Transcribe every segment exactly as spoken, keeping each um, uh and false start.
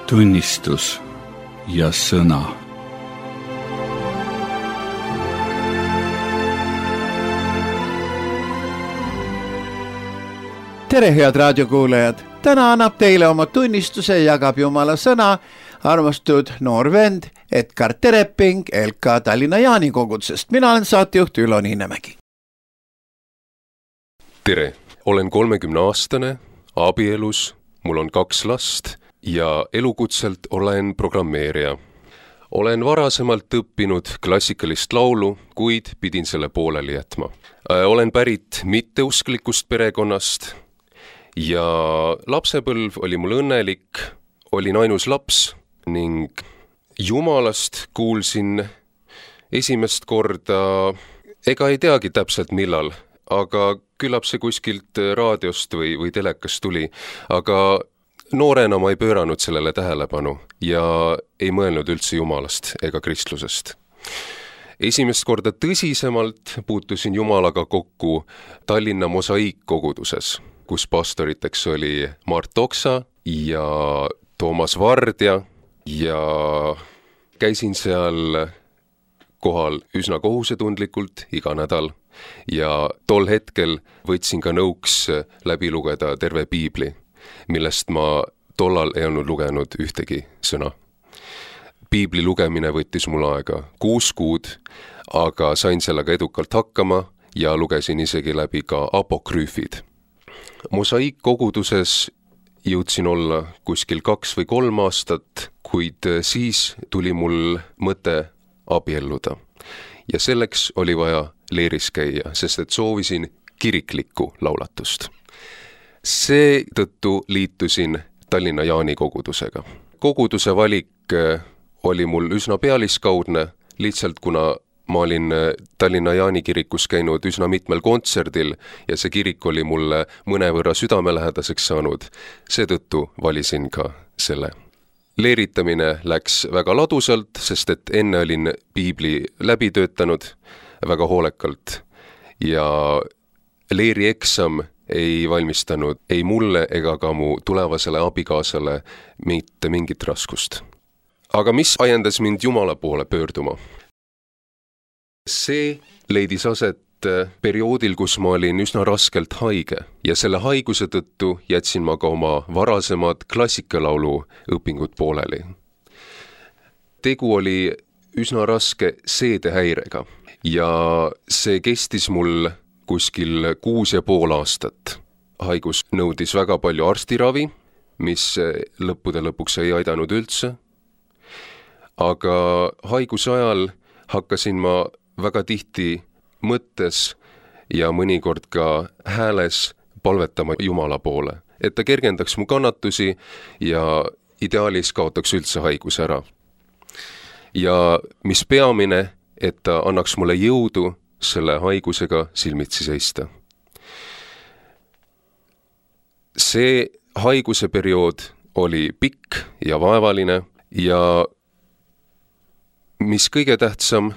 tunnistus ja sõna. Tere, head raadiokuulajad! Täna annab teile oma tunnistuse ja jagab Jumala sõna armastud noor vend Edgar Tereping L K Tallinna Jaani kogudusest. Mina olen saatejuht Ülo Niinemägi. Tere! Olen kolmekümne aastane, abielus, mul on kaks last ja elukutselt olen programmeerija. Olen varasemalt õppinud klassikalist laulu, kuid pidin selle pooleli jätma. Olen pärit mitteusklikust perekonnast ja lapsepõlv oli mul õnnelik, olin ainus laps ning Jumalast kuulsin esimest korda, ega ei teagi täpselt millal, aga küllap see kuskilt raadiost või, või telekast tuli, aga noorena ma ei pööranud sellele tähelepanu ja ei mõelnud üldse Jumalast ega kristlusest. Esimest korda tõsisemalt puutusin Jumalaga kokku Tallinna Mosaiikkoguduses, kus pastoriteks oli Mart Oksa ja Toomas Vardja ja käisin seal kohal üsna kohusetundlikult iga nädal ja tol hetkel võtsin ka nõuks läbi lugeda terve piibli, millest ma tollal ei olnud lugenud ühtegi sõna. Piibli lugemine võttis mul aega kuus kuud, aga sain sellega edukalt hakkama ja lugesin isegi läbi ka apokrüüfid. Mosaiikkoguduses jõudsin olla kuskil kaks või kolm aastat, kuid siis tuli mul mõte abielluda. Ja selleks oli vaja leeris käia, sest et soovisin kiriklikku laulatust. Seetõttu liitusin Tallinna Jaani kogudusega. Koguduse valik oli mul üsna pealiskaudne, lihtsalt kuna ma olin Tallinna Jaani kirikus käinud üsna mitmel kontserdil ja see kirik oli mulle mõnevõrra südamelähedaseks saanud, seetõttu valisin ka selle. Leeritamine läks väga ladusalt, sest et enne olin piibli läbi töötanud väga hoolekalt ja leeri eksam ei valmistanud ei mulle ega ka mu tulevasele abikaasale mitte mingit raskust. Aga mis ajendas mind Jumala poole pöörduma? See leidis aset perioodil, kus ma olin üsna raskelt haige ja selle haiguse tõttu jätsin ma ka oma varasemad klassikalaulu õpingud pooleli. Tegu oli üsna raske seedehäirega ja see kestis mul kuskil kuus ja pool aastat. Haigus nõudis väga palju arstiravi, mis lõppude lõpuks ei aidanud üldse. Aga haiguse ajal hakkasin ma väga tihti mõttes ja mõnikord ka hääles palvetama Jumala poole, et ta kergendaks mu kannatusi ja ideaalis kaotaks üldse haigus ära. Ja mis peamine, et ta annaks mulle jõudu selle haigusega silmitsi seista. See haiguse periood oli pikk ja vaevaline ja mis kõige tähtsam,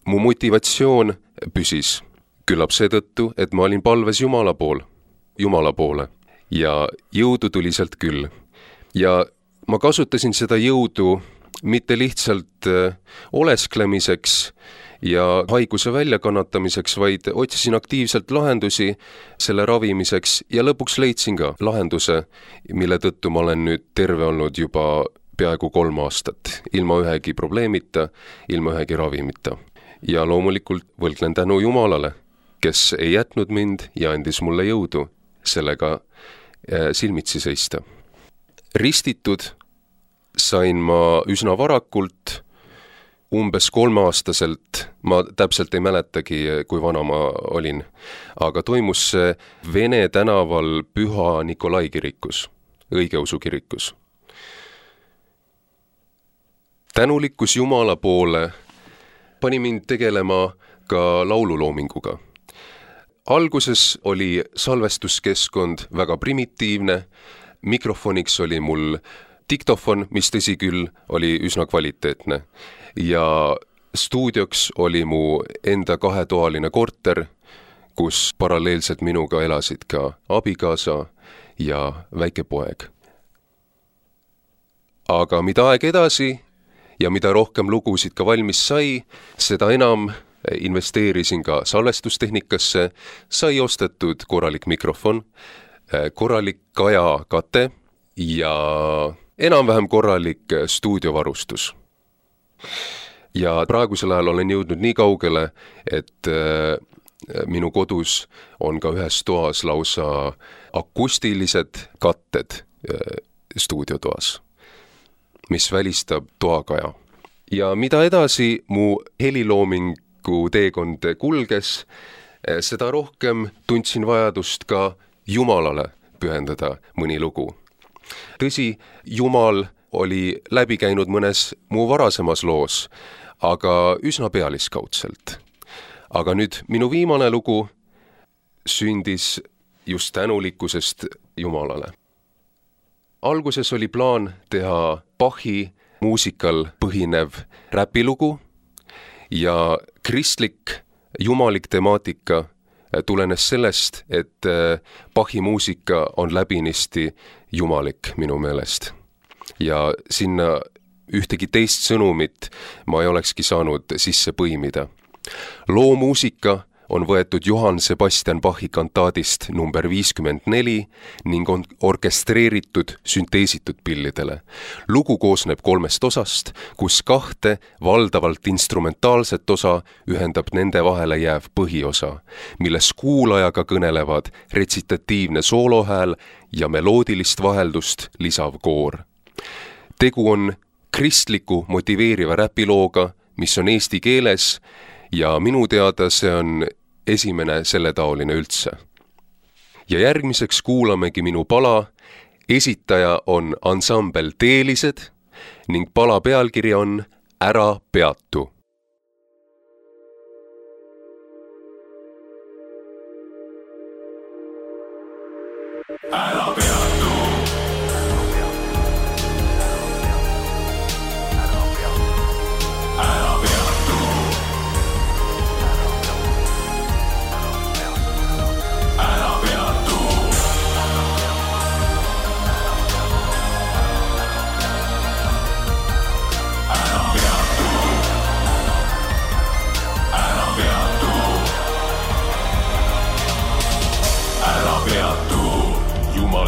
mu motivatsioon püsis küllap seetõttu, et ma olin palves Jumala pool, Jumala poole ja jõudu tuli sealt küll. Ja ma kasutasin seda jõudu mitte lihtsalt olesklemiseks ja haiguse väljakannatamiseks, vaid otsisin aktiivselt lahendusi selle ravimiseks ja lõpuks leidsin ka lahenduse, mille tõttu ma olen nüüd terve olnud juba peaaegu kolm aastat, ilma ühegi probleemita, ilma ühegi ravimita. Ja loomulikult võlgnen tänu Jumalale, kes ei jätnud mind ja andis mulle jõudu sellega silmitsi seista. Ristitud sain ma üsna varakult, umbes kolmeaastaselt, ma täpselt ei mäletagi, kui vana ma olin, aga toimus see Vene tänaval Püha Nikolai kirikus, õigeusu kirikus. Tänulikkus Jumala poole pani mind tegelema ka laululoominguga. Alguses oli salvestuskeskkond väga primitiivne, mikrofoniks oli mul diktofon, mis tõsi küll oli üsna kvaliteetne ja stuudioks oli mu enda kahetoaline korter, kus paralleelselt minuga elasid ka abikaasa ja väike poeg. aga mida aeg edasi ja mida rohkem lugusid ka valmis sai, seda enam investeerisin ka salvestustehnikasse, sai ostetud korralik mikrofon, korralik kajakate ja enam-vähem korralik stuudiovarustus. Ja praegusel ajal olen jõudnud nii kaugele, et minu kodus on ka ühes toas lausa akustilised katted stuudiotoas, mis välistab toakaja. Ja mida edasi mu heliloomingu teekond kulges, seda rohkem tundsin vajadust ka Jumalale pühendada mõni lugu. Tõsi, Jumal oli läbi käinud mõnes mu varasemas loos, aga üsna pealiskaudselt. Aga nüüd minu viimane lugu sündis just tänulikkusest Jumalale. Alguses oli plaan teha Bachi muusikal põhinev räpilugu ja kristlik, jumalik temaatika tulenes sellest, et Bachi muusika on läbinisti jumalik minu meelest. Ja sinna ühtegi teist sõnumit ma ei olekski saanud sisse põimida. Loo muusika on võetud Johann Sebastian Bachi kantaadist number viiskümmend neli ning on orkestreeritud sünteesitud pillidele. Lugu koosneb kolmest osast, kus kahte valdavalt instrumentaalset osa ühendab nende vahele jääv põhiosa, milles kuulajaga kõnelevad retsitatiivne soolohääl ja meloodilist vaheldust lisav koor. Tegu on kristliku motiveeriva räpilooga, mis on eesti keeles ja minu teada see on esimene selle taoline üldse. Ja järgmiseks kuulamegi minu pala, esitaja on ansambel Teelised ning pala pealkiri on Ära peatu. Ära peatu.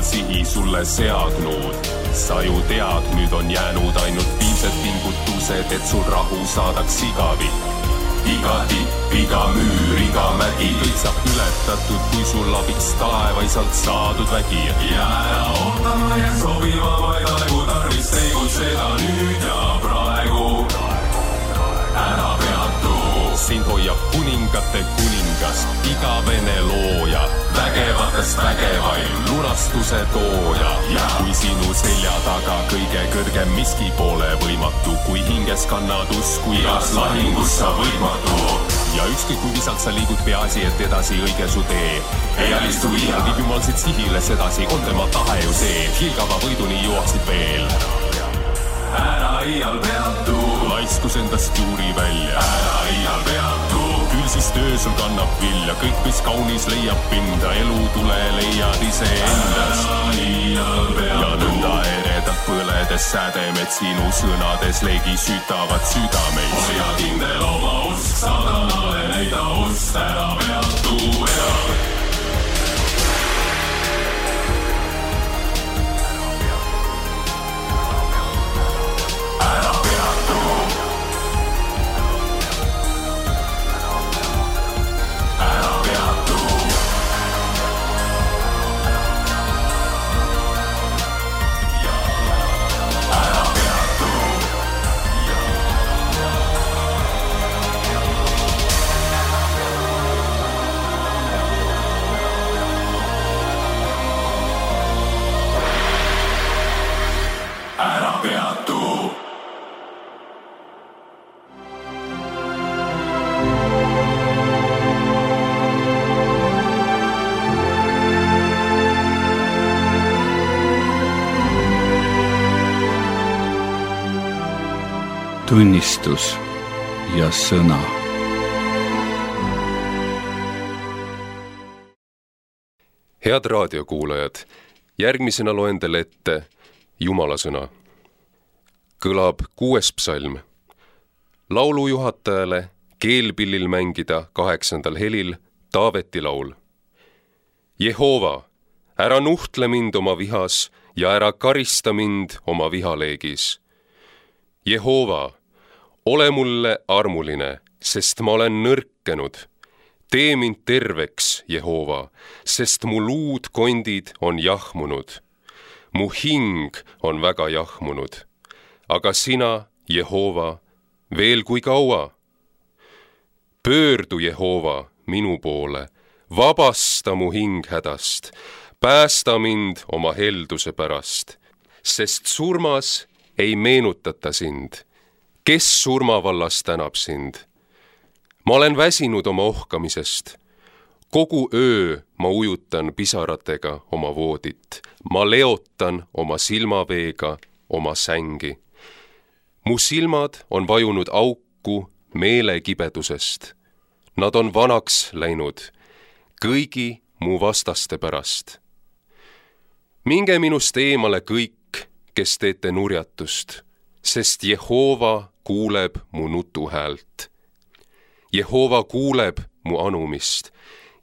Sihi sulle seadnud. Sa ju tead, nüüd on jäänud ainult viimsed pingutused, et sul rahu saadaks igavik. Iga tipp, iga müür, iga mägi, kõik saab ületatud, kui sul abiks taevaisalt saadud vägi. Ja ära ootama ja sobima vaid aegu tarvis tegutseda nüüd ja praegu. Ära peatu. Sind hoiab kuningate kuningas, igavene looja, vägevatest vägevaim, lunastuse tooja. Ja kui sinu selja taga kõige kõrgem miski pole võimatu, kui hinges kannad usku, igas lahingus sa võitmatu. Ja ükskõik kui visalt sa liigud, peaasi, et edasi õige su tee. Ei alistu iial, viib jumal siit sihile sedasi, on tema tahe ju see, hiilgava võiduni jõuaksid veel. Ära iial peatu, laiskus endast juuri välja. Ära iial peatu, küll siis töö sul kannab vilja, kõik mis kaunis leiab pinda, elu tule leiad ise endast. Ära iial peatu, ja nõnda eredalt põledes sädemed sinu sõnades leegi sütavad südameid. Hoia kindel oma usk, sadanale leida ust, ära peatu ja... tunnistus ja sõna. Head raadiokuulajad, järgmisena loen teile ette Jumala sõna. kõlab kuues psalm. Laulujuhatajale keelpillil mängida kaheksandal helil Taaveti laul. Jehova, ära nuhtle mind oma vihas ja ära karista mind oma vihaleegis. Jehova, ole mulle armuline, sest ma olen nõrkenud. Tee mind terveks, Jehova, sest mu luud kondid on jahmunud. Mu hing on väga jahmunud. Aga sina, Jehova, veel kui kaua? Pöördu, Jehova, minu poole, vabasta mu hing hädast, päästa mind oma helduse pärast, sest surmas ei meenutata sind. Kes surmavallas tänab sind? Ma olen väsinud oma ohkamisest. Kogu öö ma ujutan pisaratega oma voodit. Ma leotan oma silmaveega oma sängi. Mu silmad on vajunud auku meelekibedusest. Nad on vanaks läinud kõigi mu vastaste pärast. Minge minust eemale kõik, kes teete nurjatust, sest Jehova kuuleb mu nutuhäält. Jehova kuuleb mu anumist.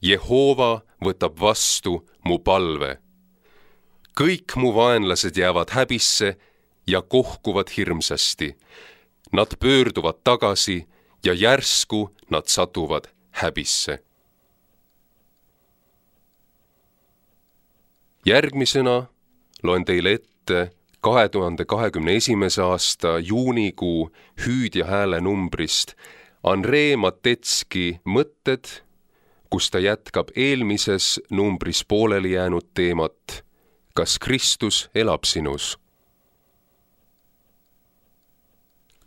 Jehova võtab vastu mu palve. Kõik mu vaenlased jäävad häbisse ja kohkuvad hirmsasti. Nad pöörduvad tagasi ja järsku nad satuvad häbisse. Järgmisena loen teile ette kahe tuhande kahekümne esimese aasta juunikuu hüüdja hääle numbrist Andrei Matetski mõtted, kus ta jätkab eelmises numbris pooleli jäänud teemat Kas Kristus elab sinus?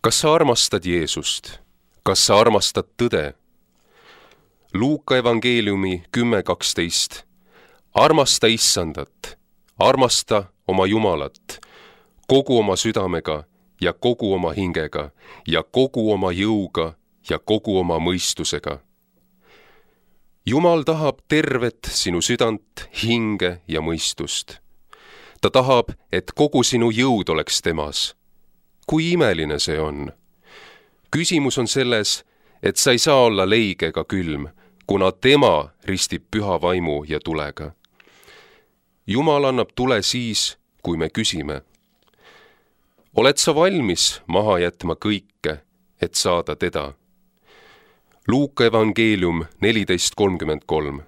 Kas sa armastad Jeesust? Kas sa armastad tõde? Luuka evangeeliumi kümme kaksteist. Armasta Issandat, armasta oma Jumalat, kogu oma südamega ja kogu oma hingega ja kogu oma jõuga ja kogu oma mõistusega. Jumal tahab tervet sinu südant, hinge ja mõistust. Ta tahab, et kogu sinu jõud oleks temas. Kui imeline see on? Küsimus on selles, et sa ei saa olla leige ega külm, kuna tema ristib püha vaimu ja tulega. Jumal annab tule siis, kui me küsime. Oled sa valmis maha jätma kõike, et saada teda? Luuka evangeelium neliteist kolmkümmend kolm.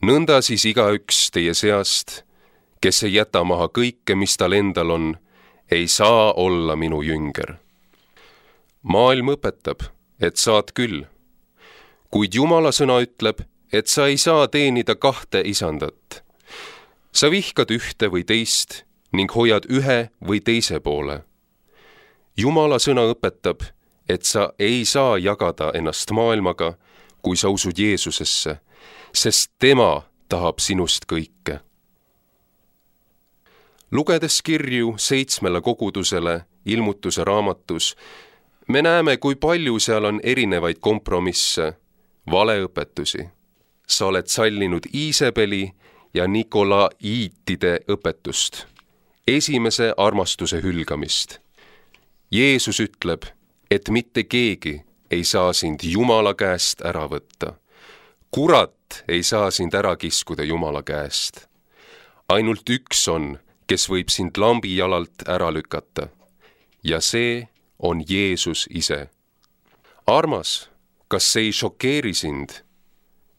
Nõnda siis igaüks teie seast, kes ei jäta maha kõike, mis tal endal on, ei saa olla minu jünger. Maailm õpetab, et saad küll, kuid Jumala sõna ütleb, et sa ei saa teenida kahte isandat. Sa vihkad ühte või teist ning hoiad ühe või teise poole. Jumala sõna õpetab, et sa ei saa jagada ennast maailmaga, kui sa usud Jeesusesse, sest tema tahab sinust kõike. Lugedes kirju seitsmele kogudusele ilmutuse raamatus, me näeme, kui palju seal on erinevaid kompromisse, valeõpetusi. Sa oled sallinud Iisebeli ja Nikolaiitide õpetust, esimese armastuse hülgamist. Jeesus ütleb, et mitte keegi ei saa sind Jumala käest ära võtta. Kurat ei saa sind ära kiskuda Jumala käest. Ainult üks on, kes võib sind lambi jalalt ära lükata. Ja see on Jeesus ise. Armas, kas see ei šokeeri sind?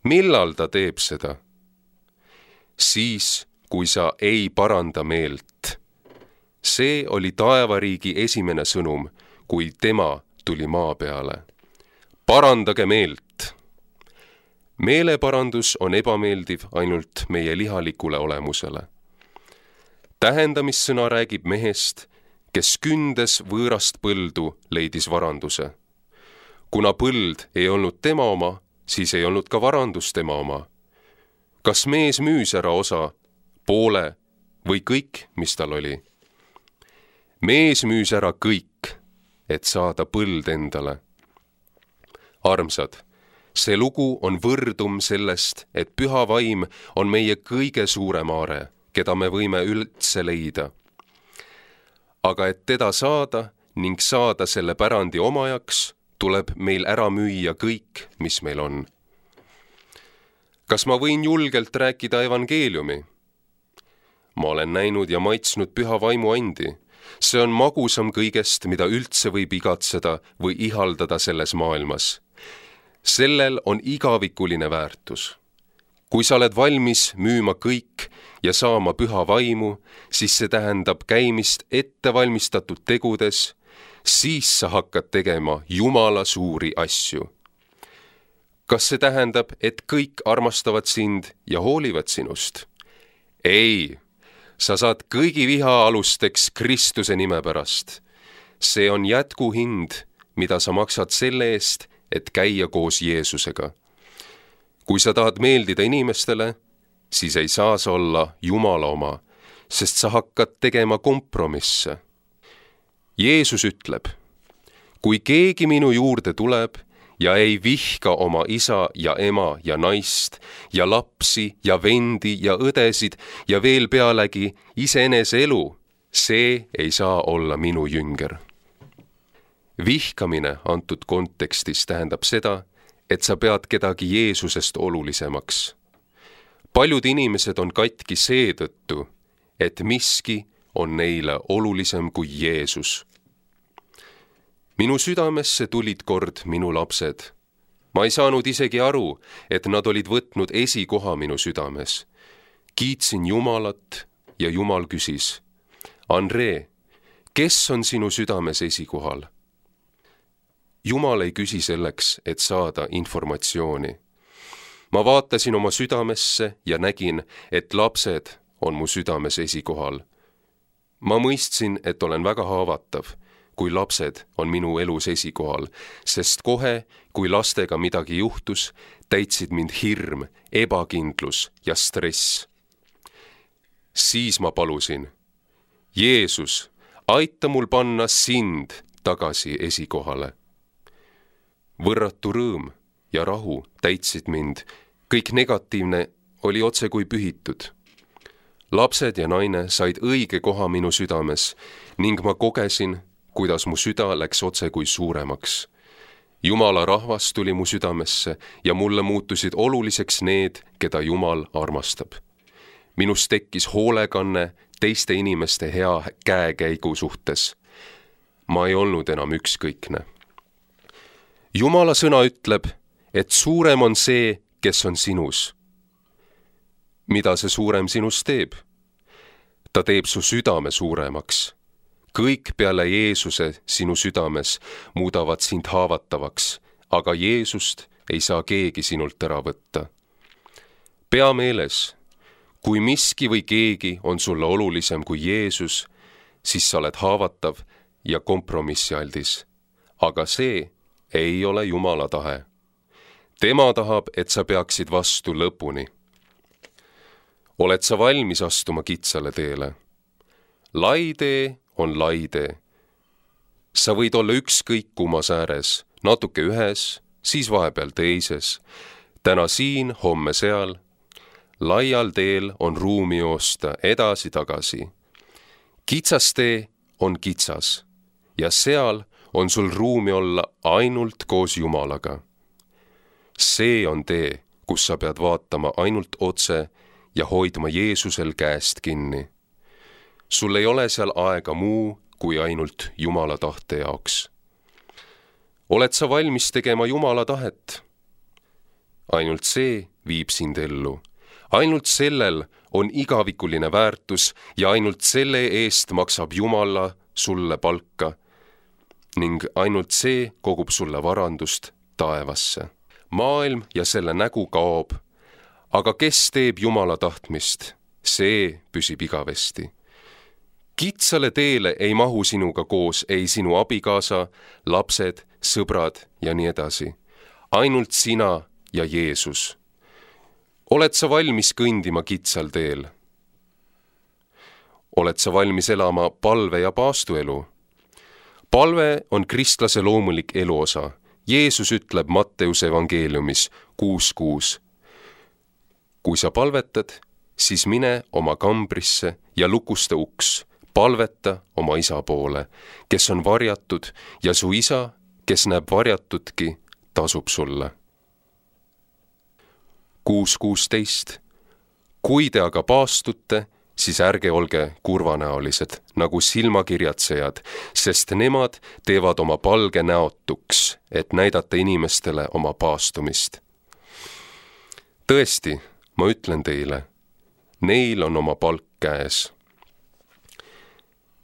Millal ta teeb seda? Siis, kui sa ei paranda meelt. See oli taevariigi esimene sõnum, kui tema tuli maa peale. Parandage meelt. Meeleparandus on ebameeldiv ainult meie lihalikule olemusele. Tähendamissõna räägib mehest, kes kündes võõrast põldu leidis varanduse. Kuna põld ei olnud tema oma, siis ei olnud ka varandus tema oma. Kas mees müüs ära osa, poole või kõik, mis tal oli? Mees müüs ära kõik, et saada põld endale. Armsad, see lugu on võrdum sellest, et püha vaim on meie kõige suurem aare, keda me võime üldse leida. aga et teda saada ning saada selle pärandi omajaks, tuleb meil ära müüa kõik, mis meil on. Kas ma võin julgelt rääkida evangeeliumi? Ma olen näinud ja maitsnud püha vaimu andi. See on magusam kõigest, mida üldse võib igatseda või ihaldada selles maailmas. Sellel on igavikuline väärtus. Kui sa oled valmis müüma kõik ja saama püha vaimu, siis see tähendab käimist ettevalmistatud tegudes, siis sa hakkad tegema Jumala suuri asju. Kas see tähendab, et kõik armastavad sind ja hoolivad sinust? Ei, sa saad kõigi viha alusteks Kristuse nime pärast. See on jätkuhind, mida sa maksad selle eest, et käia koos Jeesusega. Kui sa tahad meeldida inimestele, siis ei saa sa olla Jumala oma, sest sa hakkad tegema kompromisse. Jeesus ütleb, kui keegi minu juurde tuleb ja ei vihka oma isa ja ema ja naist ja lapsi ja vendi ja õdesid ja veel pealegi iseenese elu, see ei saa olla minu jünger. Vihkamine antud kontekstis tähendab seda, et sa pead kedagi Jeesusest olulisemaks. Paljud inimesed on katki seetõttu, et miski on neile olulisem kui Jeesus. Minu südamesse tulid kord minu lapsed. Ma ei saanud isegi aru, et nad olid võtnud esikoha minu südames. Kiitsin Jumalat ja Jumal küsis, Andre, kes on sinu südames esikohal? Jumal ei küsi selleks, et saada informatsiooni. Ma vaatasin oma südamesse ja nägin, et lapsed on mu südames esikohal. Ma mõistsin, et olen väga haavatav, kui lapsed on minu elus esikohal, sest kohe, kui lastega midagi juhtus, täitsid mind hirm, ebakindlus ja stress. Siis ma palusin, Jeesus, aita mul panna sind tagasi esikohale. Võrratu rõõm ja rahu täitsid mind, kõik negatiivne oli otse kui pühitud. Lapsed ja naine said õige koha minu südames ning ma kogesin, kuidas mu süda läks otse kui suuremaks. Jumala rahvas tuli mu südamesse ja mulle muutusid oluliseks need, keda Jumal armastab. Minus tekkis hoolekanne teiste inimeste hea käekäigu suhtes. Ma ei olnud enam ükskõikne. Jumala sõna ütleb, et suurem on see, kes on sinus. Mida see suurem sinus teeb? Ta teeb su südame suuremaks. Kõik peale Jeesuse sinu südames muudavad sind haavatavaks, aga Jeesust ei saa keegi sinult ära võtta. Pea meeles, kui miski või keegi on sulle olulisem kui Jeesus, siis sa oled haavatav ja kompromissialdis. Aga see ei ole Jumala tahe. Tema tahab, et sa peaksid vastu lõpuni. Oled sa valmis astuma kitsale teele? Lai tee on lai tee. Sa võid olla ükskõik kummas ääres, natuke ühes, siis vahepeal teises. Täna siin, homme seal. Laial teel on ruumi joosta edasi-tagasi. Kitsas tee on kitsas ja seal on sul ruumi olla ainult koos Jumalaga. See on tee, kus sa pead vaatama ainult otse ja hoidma Jeesusel käest kinni. Sul ei ole seal aega muu kui ainult Jumala tahte jaoks. Oled sa valmis tegema Jumala tahet? Ainult see viib sind ellu. Ainult sellel on igavikuline väärtus ja ainult selle eest maksab Jumala sulle palka ning ainult see kogub sulle varandust taevasse. Maailm ja selle nägu kaob, aga kes teeb Jumala tahtmist, see püsib igavesti. Kitsale teele ei mahu sinuga koos ei sinu abikaasa, lapsed, sõbrad ja nii edasi. Ainult sina ja Jeesus. Oled sa valmis kõndima kitsal teel? Oled sa valmis elama palve ja paastuelu? Palve on kristlase loomulik eluosa. Jeesus ütleb Matteuse evangeeliumis kuus kuus. Kui sa palvetad, siis mine oma kambrisse ja lukusta uks, palveta oma isa poole, kes on varjatud, ja su isa, kes näeb varjatudki, tasub sulle. kuus kuusteist. Kui te aga paastute, siis ärge olge kurvanäolised, nagu silmakirjatsejad, sest nemad teevad oma palge näotuks, et näidata inimestele oma paastumist. Tõesti, ma ütlen teile, neil on oma palk käes.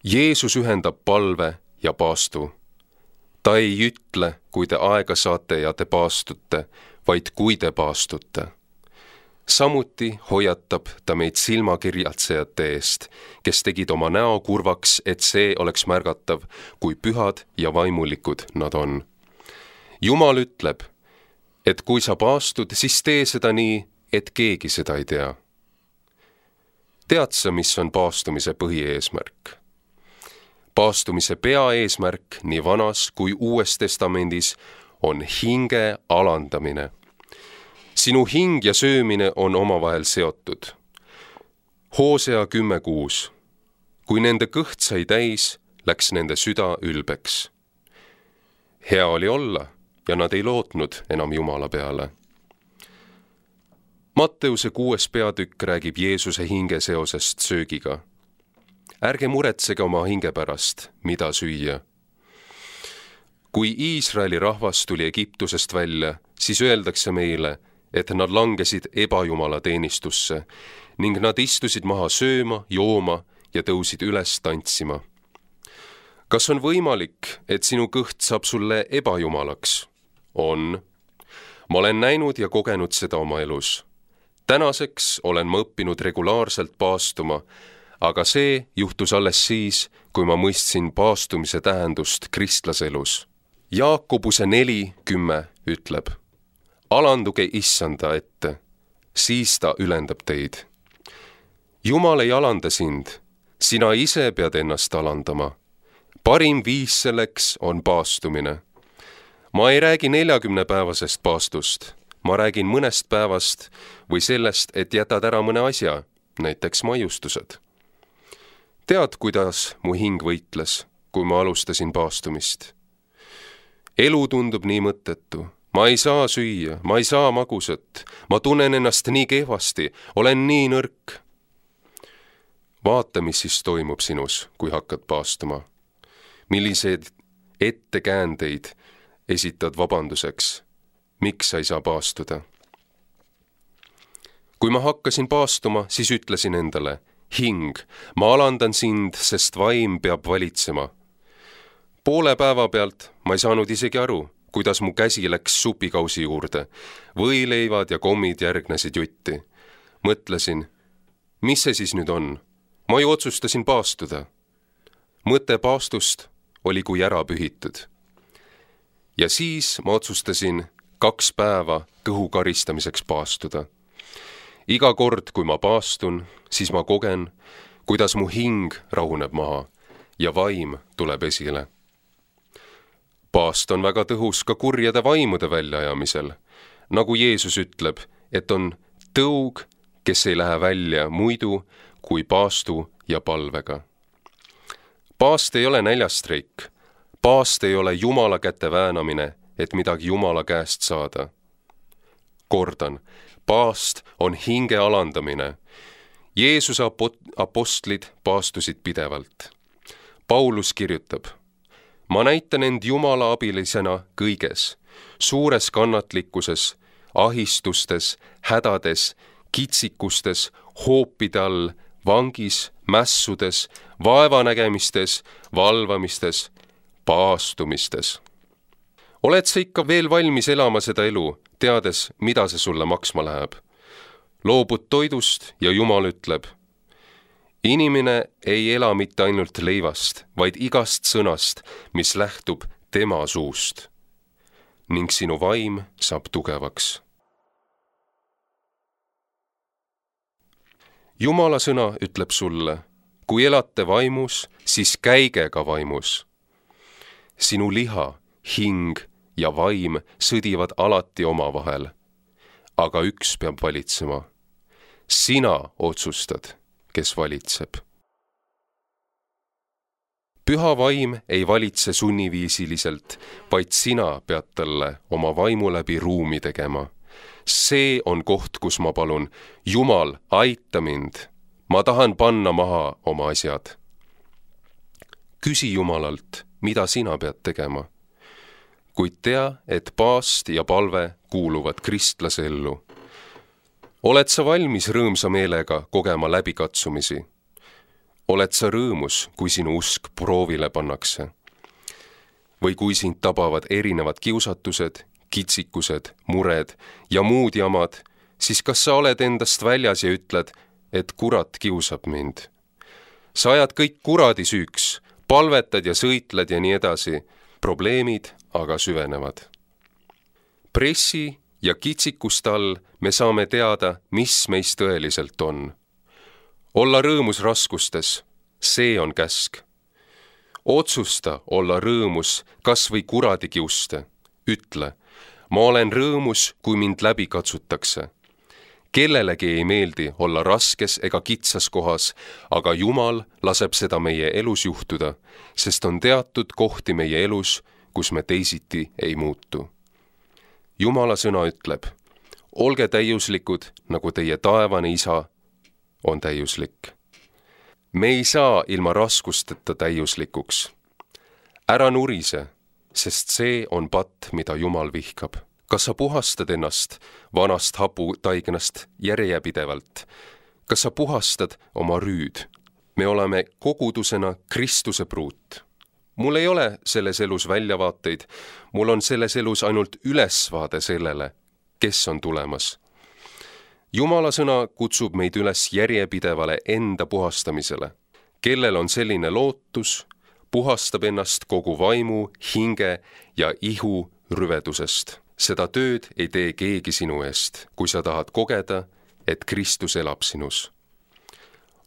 Jeesus ühendab palve ja paastu. Ta ei ütle, kui te aega saate ja te paastute, vaid kui te paastute. Samuti hoiatab ta meid silmakirjatsejate eest, kes tegid oma näo kurvaks, et see oleks märgatav, kui pühad ja vaimulikud nad on. Jumal ütleb, et kui sa paastud, siis tee seda nii, et keegi seda ei tea. Tead sa, mis on paastumise põhieesmärk? Paastumise peaeesmärk nii vanas kui uues testamendis on hinge alandamine. Sinu hing ja söömine on omavahel seotud. Hoosea kümme kuus. Kui nende kõht sai täis, läks nende süda ülbeks. Hea oli olla ja nad ei lootnud enam Jumala peale. Matteuse kuues peatükk räägib Jeesuse hinge seosest söögiga. Ärge muretsege oma hinge pärast, mida süüa. Kui Iisraeli rahvas tuli Egiptusest välja, siis öeldakse meile, et nad langesid ebajumala teenistusse ning nad istusid maha sööma, jooma ja tõusid üles tantsima. Kas on võimalik, et sinu kõht saab sulle ebajumalaks? On. Ma olen näinud ja kogenud seda oma elus. Tänaseks olen ma õppinud regulaarselt paastuma, aga see juhtus alles siis, kui ma mõistsin paastumise tähendust kristlaselus. Jaakobuse neli kümme ütleb, alanduge issanda ette, siis ta ülendab teid. Jumal ei alanda sind, sina ise pead ennast alandama. Parim viis selleks on paastumine. Ma ei räägi neljakümne päevasest paastust, ma räägin mõnest päevast või sellest, et jätad ära mõne asja, näiteks maiustused. Tead, kuidas mu hing võitles, kui ma alustasin paastumist? Elu tundub nii mõttetu. Ma ei saa süüa, ma ei saa magusat, ma tunnen ennast nii kehvasti, olen nii nõrk. Vaata, mis siis toimub sinus, kui hakkad paastuma. Milliseid ettekäändeid esitad vabanduseks, miks sa ei saa paastuda? Kui ma hakkasin paastuma, siis ütlesin endale, hing, ma alandan sind, sest vaim peab valitsema. Poole päeva pealt ma ei saanud isegi aru, kuidas mu käsi läks supikausi juurde. Võileivad ja kommid järgnesid jutti. Mõtlesin, mis see siis nüüd on? Ma ju otsustasin paastuda. Mõte paastust oli kui ära pühitud. Ja siis ma otsustasin kaks päeva kõhu karistamiseks paastuda. Iga kord, kui ma paastun, siis ma kogen, kuidas mu hing rahuneb maha ja vaim tuleb esile. Paast on väga tõhus ka kurjade vaimude väljaajamisel, nagu Jeesus ütleb, et on tõug, kes ei lähe välja muidu kui paastu ja palvega. Paast ei ole näljastreik, paast ei ole Jumala käte väänamine, et midagi Jumala käest saada. Kordan, paast on hinge alandamine. Jeesuse apostlid paastusid pidevalt. Paulus kirjutab, ma näitan end Jumala abilisena kõiges, suures kannatlikkuses, ahistustes, hädades, kitsikustes, hoopide all, vangis, mässudes, vaevanägemistes, valvamistes, paastumistes. Oled sa ikka veel valmis elama seda elu, teades, mida see sulle maksma läheb? Loobud toidust ja Jumal ütleb, inimene ei ela mitte ainult leivast, vaid igast sõnast, mis lähtub tema suust. Ning sinu vaim saab tugevaks. Jumala sõna ütleb sulle, kui elate vaimus, siis käige ka vaimus. Sinu liha, hing ja vaim sõdivad alati omavahel, aga üks peab valitsema. Sina otsustad, kes valitseb. püha vaim ei valitse sunniviisiliselt, vaid sina pead talle oma vaimu läbi ruumi tegema. See on koht, kus ma palun, Jumal, aita mind. Ma tahan panna maha oma asjad. Küsi Jumalalt, mida sina pead tegema. Kuid tea, et paast ja palve kuuluvad kristlase ellu. Oled sa valmis rõõmsa meelega kogema läbikatsumisi? Oled sa rõõmus, kui sinu usk proovile pannakse? Või kui sind tabavad erinevad kiusatused, kitsikused, mured ja muud jamad, siis kas sa oled endast väljas ja ütled, et kurat kiusab mind? Sa ajad kõik kuradi süüks, palvetad ja sõitled ja nii edasi, probleemid aga süvenevad. Pressi ja kitsikuste all me saame teada, mis meist tõeliselt on. Olla rõõmus raskustes, see on käsk. Otsusta olla rõõmus kas või kuradi kiuste. Ütle, ma olen rõõmus, kui mind läbi katsutakse. Kellelegi ei meeldi olla raskes ega kitsas kohas, aga Jumal laseb seda meie elus juhtuda, sest on teatud kohti meie elus, kus me teisiti ei muutu. Jumala sõna ütleb, olge täiuslikud, nagu teie taevane isa on täiuslik. Me ei saa ilma raskusteta täiuslikuks. Ära nurise, sest see on patt, mida Jumal vihkab. Kas sa puhastad ennast vanast haputaignast järjepidevalt? Kas sa puhastad oma rüüd? Me oleme kogudusena Kristuse pruut. Mul ei ole selles elus väljavaateid, mul on selles elus ainult ülesvaade sellele, kes on tulemas. Jumala sõna kutsub meid üles järjepidevale enda puhastamisele. Kellel on selline lootus, puhastab ennast kogu vaimu, hinge ja ihu rüvedusest. Seda tööd ei tee keegi sinu eest, kui sa tahad kogeda, et Kristus elab sinus.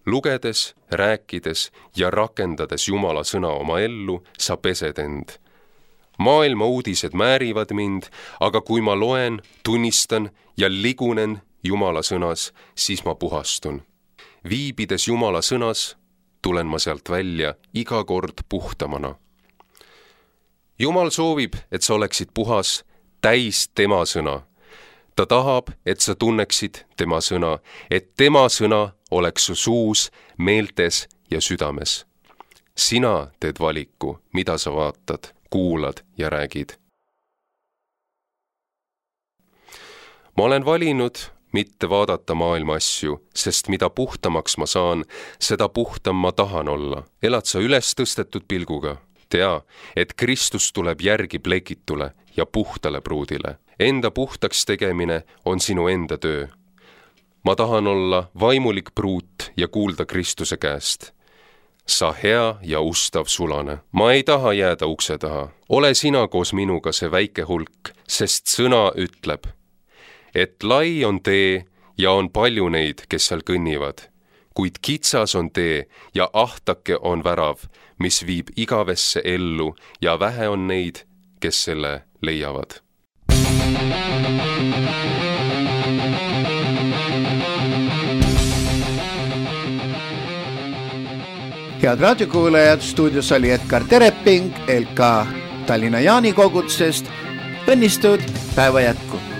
Lugedes, rääkides ja rakendades Jumala sõna oma ellu, sa pesed end. Maailma uudised määrivad mind, aga kui ma loen, tunnistan ja ligunen Jumala sõnas, siis ma puhastun. Viibides Jumala sõnas, tulen ma sealt välja iga kord puhtamana. Jumal soovib, et sa oleksid puhas, täis tema sõna. Ta tahab, et sa tunneksid tema sõna, et tema sõna oleks su suus, meeltes ja südames. Sina teed valiku, mida sa vaatad, kuulad ja räägid. Ma olen valinud mitte vaadata maailma asju, sest mida puhtamaks ma saan, seda puhtam ma tahan olla. Elad sa üles tõstetud pilguga? Tea, et Kristus tuleb järgi plekitule ja puhtale pruudile. Enda puhtaks tegemine on sinu enda töö. Ma tahan olla vaimulik pruut ja kuulda Kristuse käest. Sa hea ja ustav sulane. Ma ei taha jääda ukse taha. Ole sina koos minuga see väike hulk, sest sõna ütleb, et lai on tee ja on palju neid, kes seal kõnnivad, kuid kitsas on tee ja ahtake on värav, mis viib igavesse ellu ja vähe on neid, kes selle leiavad. Head raadiokuulajad, stuudios oli Edgar Tereping L K Tallinna Jaani kogutsest. Õnnistud päeva jätku!